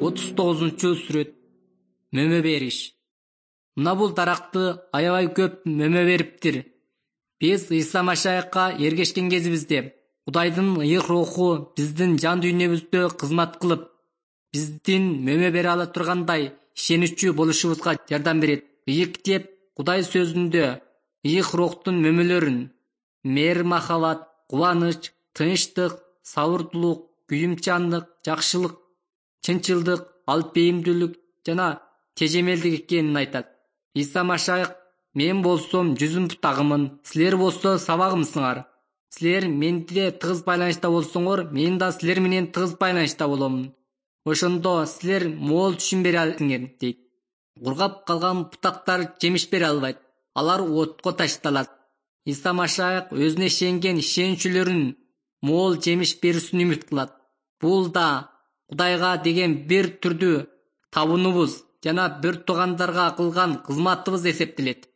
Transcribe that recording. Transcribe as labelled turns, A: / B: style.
A: 39-сүрөт. Мөмө бериш. Мына бул даракты аябай көп мөмө бериптир. Биз Иса Машаякка эргешкен кезибизде Кудайдын ыйык руху биздин жан дүйнөбүздө кызмат кылып, биздин мөмө бере ала тургандай ишеничүү болушубузга жардам берет. Ыйык китеп Кудай сөзүндө ыйык рухтун мөмөлөрүн мээрим-махабат, кубаныч, тынчтык, сабырдуулук, күйүмчандык, жакшылык, чынчылдык, алып бейимдүүлүк жана тежемелдик экенин айтат. Иса Машаяк: мен болсом жүзүм бутагымын, силер болсо сабагымсыңар. Силер менде тыгыз байланышта болсоңор, мен да силер менен тыгыз байланышта боломун. Ошондо силер моол түшүм бере аласыңар, дейт. Кургап калган бутактар жемиш бере албайт, алар отко ташталат. Иса Машаяк өзүнө ишенген ишенүүчүлөрүн моол жемиш берүүсүн үмүт кылат. Бул да Кудайга деген бир түрдүү табынуубуз жана бир туугандарга кылган кызматыбыз эсептелет.